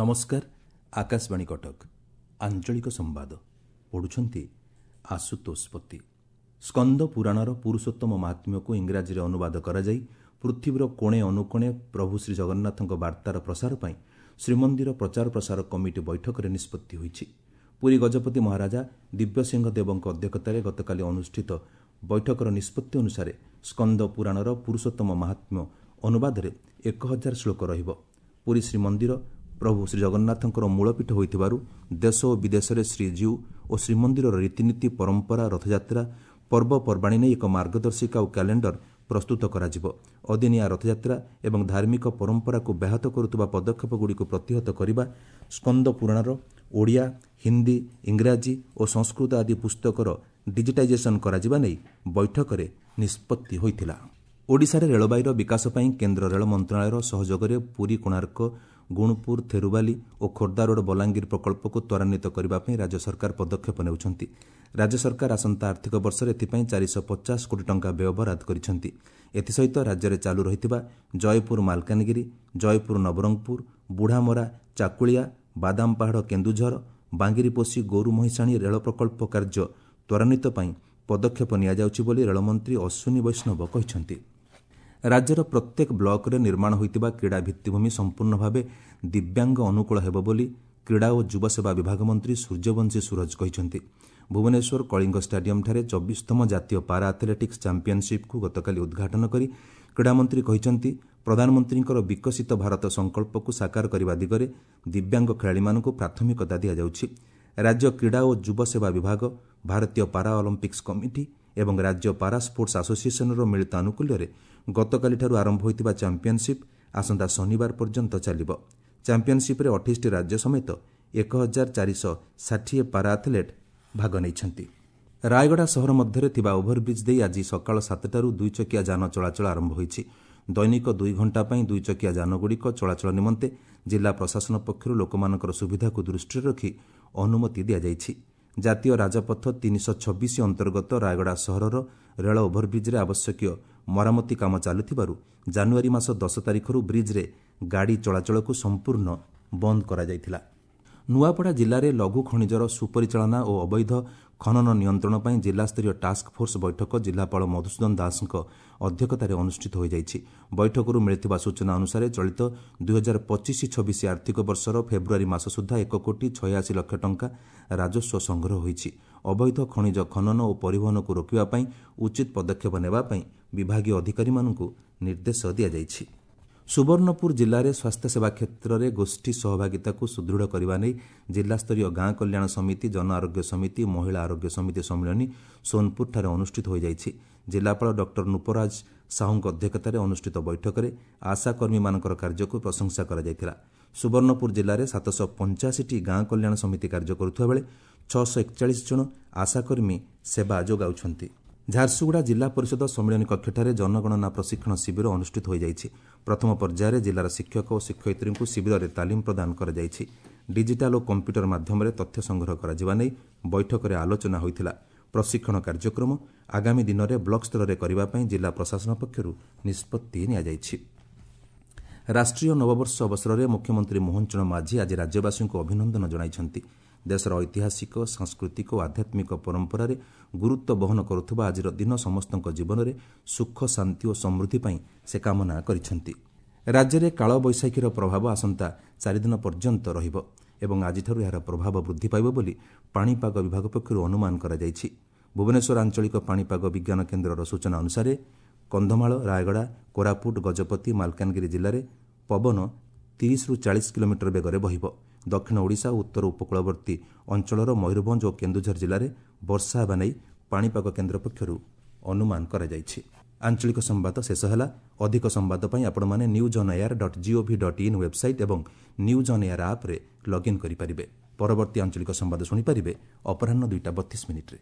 ନମସ୍କାର, ଆକାଶବାଣୀ କଟକ। ଆଞ୍ଚଳିକ ସମ୍ବାଦ ପଢ଼ୁଛନ୍ତି ଆଶୁତୋଷ ପତି। ସ୍କନ୍ଦ ପୁରାଣର ପୁରୁଷୋତ୍ତମ ମାହାତ୍ମ୍ୟକୁ ଇଂରାଜୀରେ ଅନୁବାଦ କରାଯାଇ ପୃଥିବୀର କୋଣେ ଅନୁକୋଣେ ପ୍ରଭୁ ଶ୍ରୀଜଗନ୍ନାଥଙ୍କ ବାର୍ତ୍ତାର ପ୍ରସାର ପାଇଁ ଶ୍ରୀମନ୍ଦିର ପ୍ରଚାର ପ୍ରସାର କମିଟି ବୈଠକରେ ନିଷ୍ପତ୍ତି ହୋଇଛି। ପୁରୀ ଗଜପତି ମହାରାଜା ଦିବ୍ୟସିଂହ ଦେବଙ୍କ ଅଧ୍ୟକ୍ଷତାରେ ଗତକାଲି ଅନୁଷ୍ଠିତ ବୈଠକର ନିଷ୍ପତ୍ତି ଅନୁସାରେ ସ୍କନ୍ଦ ପୁରାଣର ପୁରୁଷୋତ୍ତମ ମାହାତ୍ମ୍ୟ ଅନୁବାଦରେ 1000 ଶ୍ଳୋକ ରହିବ। ପୁରୀ ଶ୍ରୀମନ୍ଦିର ପ୍ରଭୁ ଶ୍ରୀଜଗନ୍ନାଥଙ୍କର ମୂଳପୀଠ ହୋଇଥିବାରୁ ଦେଶ ଓ ବିଦେଶରେ ଶ୍ରୀଜୀଉ ଓ ଶ୍ରୀମନ୍ଦିରର ରୀତିନୀତି, ପରମ୍ପରା, ରଥଯାତ୍ରା, ପର୍ବପର୍ବାଣୀ ନେଇ ଏକ ମାର୍ଗଦର୍ଶିକା ଓ କ୍ୟାଲେଣ୍ଡର ପ୍ରସ୍ତୁତ କରାଯିବ। ଅଦିନିଆ ରଥଯାତ୍ରା ଏବଂ ଧାର୍ମିକ ପରମ୍ପରାକୁ ବ୍ୟାହତ କରୁଥିବା ପଦକ୍ଷେପଗୁଡ଼ିକୁ ପ୍ରତିହତ କରିବା, ସ୍କନ୍ଦ ପୁରାଣର ଓଡ଼ିଆ, ହିନ୍ଦୀ, ଇଂରାଜୀ ଓ ସଂସ୍କୃତ ଆଦି ପୁସ୍ତକର ଡିଜିଟାଇଜେସନ୍ କରାଯିବା ନେଇ ବୈଠକରେ ନିଷ୍ପତ୍ତି ହୋଇଥିଲା। ଓଡ଼ିଶାରେ ରେଳବାଇର ବିକାଶ ପାଇଁ କେନ୍ଦ୍ର ରେଳ ମନ୍ତ୍ରଣାଳୟର ସହଯୋଗରେ ପୁରୀ କୋଣାର୍କ, ଗୁଣପୁର, ଥେରୁବାଲି ଓ ଖୋର୍ଦ୍ଧାରୋଡ୍ ବଲାଙ୍ଗୀର ପ୍ରକଳ୍ପକୁ ତ୍ୱରାନ୍ୱିତ କରିବା ପାଇଁ ରାଜ୍ୟ ସରକାର ପଦକ୍ଷେପ ନେଉଛନ୍ତି। ରାଜ୍ୟ ସରକାର ଆସନ୍ତା ଆର୍ଥିକ ବର୍ଷରେ ଏଥିପାଇଁ 450 କୋଟି ଟଙ୍କା ବ୍ୟୟବରାଦ କରିଛନ୍ତି। ଏଥିସହିତ ରାଜ୍ୟରେ ଚାଲୁ ରହିଥିବା ଜୟପୁର ମାଲକାନଗିରି, ଜୟପୁର ନବରଙ୍ଗପୁର, ବୁଢ଼ାମରା ଚାକୁଳିଆ, ବାଦାମପାହାଡ଼ କେନ୍ଦୁଝର, ବାଙ୍ଗିରିପୋଷି ଗୋରୁ ମହିଷାଣୀ ରେଳ ପ୍ରକଳ୍ପ କାର୍ଯ୍ୟ ତ୍ୱରାନ୍ୱିତ ପାଇଁ ପଦକ୍ଷେପ ନିଆଯାଉଛି ବୋଲି ରେଳମନ୍ତ୍ରୀ ଅଶ୍ୱିନୀ ବୈଷ୍ଣବ କହିଛନ୍ତି। ରାଜ୍ୟର ପ୍ରତ୍ୟେକ ବ୍ଲକରେ ନିର୍ମାଣ ହୋଇଥିବା କ୍ରୀଡ଼ା ଭିତ୍ତିଭୂମି ସମ୍ପୂର୍ଣ୍ଣ ଭାବେ ଦିବ୍ୟାଙ୍ଗ ଅନୁକୂଳ ହେବ ବୋଲି କ୍ରୀଡ଼ା ଓ ଯୁବସେବା ବିଭାଗ ମନ୍ତ୍ରୀ ସୂର୍ଯ୍ୟବଂଶୀ ସୂରଜ କହିଛନ୍ତି। ଭୁବନେଶ୍ୱର କଳିଙ୍ଗ ଷ୍ଟାଡିୟମ୍ଠାରେ 24ତମ ଜାତୀୟ ପାରା ଆଥଲେଟିକ୍ସ ଚାମ୍ପିୟନସିପ୍କୁ ଗତକାଲି ଉଦ୍ଘାଟନ କରି କ୍ରୀଡ଼ାମନ୍ତ୍ରୀ କହିଛନ୍ତି, ପ୍ରଧାନମନ୍ତ୍ରୀଙ୍କର ବିକଶିତ ଭାରତ ସଂକଳ୍ପକୁ ସାକାର କରିବା ଦିଗରେ ଦିବ୍ୟାଙ୍ଗ ଖେଳାଳିମାନଙ୍କୁ ପ୍ରାଥମିକତା ଦିଆଯାଉଛି। ରାଜ୍ୟ କ୍ରୀଡ଼ା ଓ ଯୁବସେବା ବିଭାଗ, ଭାରତୀୟ ପାରା ଅଲିମ୍ପିକ୍ସ କମିଟି ଏବଂ ରାଜ୍ୟ ପାରା ସ୍ପୋର୍ଟସ୍ ଆସୋସିଏସନ୍ର ମିଳିତ ଆନୁକୂଲ୍ୟରେ ଗତକାଲିଠାରୁ ଆରମ୍ଭ ହୋଇଥିବା ଚାମ୍ପିୟନସିପ୍ ଆସନ୍ତା ଶନିବାର ପର୍ଯ୍ୟନ୍ତ ଚାଲିବ। ଚାମ୍ପିୟନସିପ୍ରେ 28ଟି ରାଜ୍ୟ ସମେତ 1460 ପାରା ଆଥଲେଟ୍ ଭାଗ ନେଇଛନ୍ତି। ରାୟଗଡ଼ା ସହର ମଧ୍ୟରେ ଥିବା ଓଭରବ୍ରିଜ୍ ଦେଇ ଆଜି ସକାଳ 7ଟାରୁ ଦୁଇଚକିଆ ଯାନ ଚଳାଚଳ ଆରମ୍ଭ ହୋଇଛି। ଦୈନିକ 2 ଘଣ୍ଟା ପାଇଁ ଦୁଇଚକିଆ ଯାନଗୁଡ଼ିକ ଚଳାଚଳ ନିମନ୍ତେ ଜିଲ୍ଲା ପ୍ରଶାସନ ପକ୍ଷରୁ ଲୋକମାନଙ୍କର ସୁବିଧାକୁ ଦୃଷ୍ଟିରେ ରଖି ଅନୁମତି ଦିଆଯାଇଛି। ଜାତୀୟ ରାଜପଥ 326 ଅନ୍ତର୍ଗତ ରାୟଗଡ଼ା ସହରର ରେଳ ଓଭରବ୍ରିଜ୍ରେ ଆବଶ୍ୟକୀୟ ମରାମତି କାମ ଚାଲୁଥିବାରୁ ଜାନୁଆରୀ ମାସ 10 ତାରିଖରୁ ବ୍ରିଜ୍ରେ ଗାଡ଼ି ଚଳାଚଳକୁ ସମ୍ପୂର୍ଣ୍ଣ ବନ୍ଦ କରାଯାଇଥିଲା। ନୂଆପଡ଼ା ଜିଲ୍ଲାରେ ଲଘୁ ଖଣିଜର ସୁପରିଚାଳନା ଓ ଅବୈଧ ଖନନ ନିୟନ୍ତ୍ରଣ ପାଇଁ ଜିଲ୍ଲାସ୍ତରୀୟ ଟାସ୍କଫୋର୍ସ ବୈଠକ ଜିଲ୍ଲାପାଳ ମଧୁସୂଦନ ଦାସଙ୍କ ଅଧ୍ୟକ୍ଷତାରେ ଅନୁଷ୍ଠିତ ହୋଇଯାଇଛି। ବୈଠକରୁ ମିଳିଥିବା ସୂଚନା ଅନୁସାରେ ଚଳିତ 2025-26 ଆର୍ଥିକ ବର୍ଷର ଫେବୃଆରୀ ମାସ ସୁଦ୍ଧା 1 କୋଟି 86 ଲକ୍ଷ ଟଙ୍କା ରାଜସ୍ୱ ସଂଗ୍ରହ ହୋଇଛି। ଅବୈଧ ଖଣିଜ ଖନନ ଓ ପରିବହନକୁ ରୋକିବା ପାଇଁ ଉଚିତ ପଦକ୍ଷେପ ନେବା ପାଇଁ ବିଭାଗୀୟ ଅଧିକାରୀମାନଙ୍କୁ ନିର୍ଦ୍ଦେଶ ଦିଆଯାଇଛି। ସୁବର୍ଣ୍ଣପୁର ଜିଲ୍ଲାରେ ସ୍ୱାସ୍ଥ୍ୟସେବା କ୍ଷେତ୍ରରେ ଗୋଷ୍ଠୀ ସହଭାଗିତାକୁ ସୁଦୃଢ଼ କରିବା ନେଇ ଜିଲ୍ଲାସ୍ତରୀୟ ଗାଁ କଲ୍ୟାଣ ସମିତି, ଜନ ଆରୋଗ୍ୟ ସମିତି, ମହିଳା ଆରୋଗ୍ୟ ସମିତି ସମ୍ମିଳନୀ ସୋନପୁରଠାରେ ଅନୁଷ୍ଠିତ ହୋଇଯାଇଛି। ଜିଲ୍ଲାପାଳ ଡକ୍ଟର ନୃପରାଜ ସାହୁଙ୍କ ଅଧ୍ୟକ୍ଷତାରେ ଅନୁଷ୍ଠିତ ବୈଠକରେ ଆଶାକର୍ମୀମାନଙ୍କର କାର୍ଯ୍ୟକୁ ପ୍ରଶଂସା କରାଯାଇଥିଲା। ସୁବର୍ଣ୍ଣପୁର ଜିଲ୍ଲାରେ 785ଟି ଗାଁ କଲ୍ୟାଣ ସମିତି କାର୍ଯ୍ୟ କରୁଥିବା ବେଳେ 641 ଜଣ ଆଶାକର୍ମୀ ସେବା ଯୋଗାଉଛନ୍ତି। ଝାରସୁଗୁଡ଼ା ଜିଲ୍ଲା ପରିଷଦ ସମ୍ମିଳନୀ କକ୍ଷଠାରେ ଜନଗଣନା ପ୍ରଶିକ୍ଷଣ ଶିବିର ଅନୁଷ୍ଠିତ ହୋଇଯାଇଛି। ପ୍ରଥମ ପର୍ଯ୍ୟାୟରେ ଜିଲ୍ଲାର ଶିକ୍ଷକ ଓ ଶିକ୍ଷୟିତ୍ରୀଙ୍କୁ ଶିବିରରେ ତାଲିମ ପ୍ରଦାନ କରାଯାଇଛି। ଡିଜିଟାଲ ଓ କମ୍ପ୍ୟୁଟର ମାଧ୍ୟମରେ ତଥ୍ୟ ସଂଗ୍ରହ କରାଯିବା ନେଇ ବୈଠକରେ ଆଲୋଚନା ହୋଇଥିଲା। ପ୍ରଶିକ୍ଷଣ କାର୍ଯ୍ୟକ୍ରମ ଆଗାମୀ ଦିନରେ ବ୍ଲକ ସ୍ତରରେ କରିବା ପାଇଁ ଜିଲ୍ଲା ପ୍ରଶାସନ ପକ୍ଷରୁ ନିଷ୍ପତ୍ତି ନିଆଯାଇଛି। ରାଷ୍ଟ୍ରୀୟ ନବବର୍ଷ ଅବସରରେ ମୁଖ୍ୟମନ୍ତ୍ରୀ ମୋହନ ଚରଣ ମାଝୀ ଆଜି ରାଜ୍ୟବାସୀଙ୍କୁ ଅଭିନନ୍ଦନ ଜଣାଇଛନ୍ତି। ଦେଶର ଐତିହାସିକ, ସାଂସ୍କୃତିକ ଓ ଆଧ୍ୟାତ୍ମିକ ପରମ୍ପରାରେ ଗୁରୁତ୍ୱ ବହନ କରୁଥିବା ଆଜିର ଦିନ ସମସ୍ତଙ୍କ ଜୀବନରେ ସୁଖ, ଶାନ୍ତି ଓ ସମୃଦ୍ଧି ପାଇଁ ସେ କାମନା କରିଛନ୍ତି। ରାଜ୍ୟରେ କାଳବୈଶାଖୀର ପ୍ରଭାବ ଆସନ୍ତା 4 ଦିନ ପର୍ଯ୍ୟନ୍ତ ରହିବ ଏବଂ ଆଜିଠାରୁ ଏହାର ପ୍ରଭାବ ବୃଦ୍ଧି ପାଇବ ବୋଲି ପାଣିପାଗ ବିଭାଗ ପକ୍ଷରୁ ଅନୁମାନ କରାଯାଇଛି। ଭୁବନେଶ୍ୱର ଆଞ୍ଚଳିକ ପାଣିପାଗ ବିଜ୍ଞାନ କେନ୍ଦ୍ରର ସୂଚନା ଅନୁସାରେ କନ୍ଧମାଳ, ରାୟଗଡ଼ା, କୋରାପୁଟ, ଗଜପତି, ମାଲକାନଗିରି ଜିଲ୍ଲାରେ ପବନ 30ରୁ 40 କିଲୋମିଟର ବେଗରେ ବହିବ। ଦକ୍ଷିଣ ଓଡ଼ିଶା ଓ ଉତ୍ତର ଉପକୂଳବର୍ତ୍ତୀ ଅଞ୍ଚଳର ମୟୂରଭଞ୍ଜ ଓ କେନ୍ଦୁଝର ଜିଲ୍ଲାରେ ବର୍ଷା ହେବା ନେଇ ପାଣିପାଗ କେନ୍ଦ୍ର ପକ୍ଷରୁ ଅନୁମାନ କରାଯାଇଛି। ଆଞ୍ଚଳିକ ସମ୍ବାଦ ଶେଷ ହେଲା। ଅଧିକ ସମ୍ବାଦ ପାଇଁ ଆପଣମାନେ newsonair.gov.in website ଏବଂ ନ୍ୟୁଜ୍ ଅନ୍ ଏୟାର ଆପ୍ରେ ଲଗ୍ଇନ୍ କରିପାରିବେ। ପରବର୍ତ୍ତୀ ଆଞ୍ଚଳିକ ସମ୍ବାଦ ଶୁଣିପାରିବେ ଅପରାହ୍ନ 2ଟା 32 ମିନିଟ୍ରେ।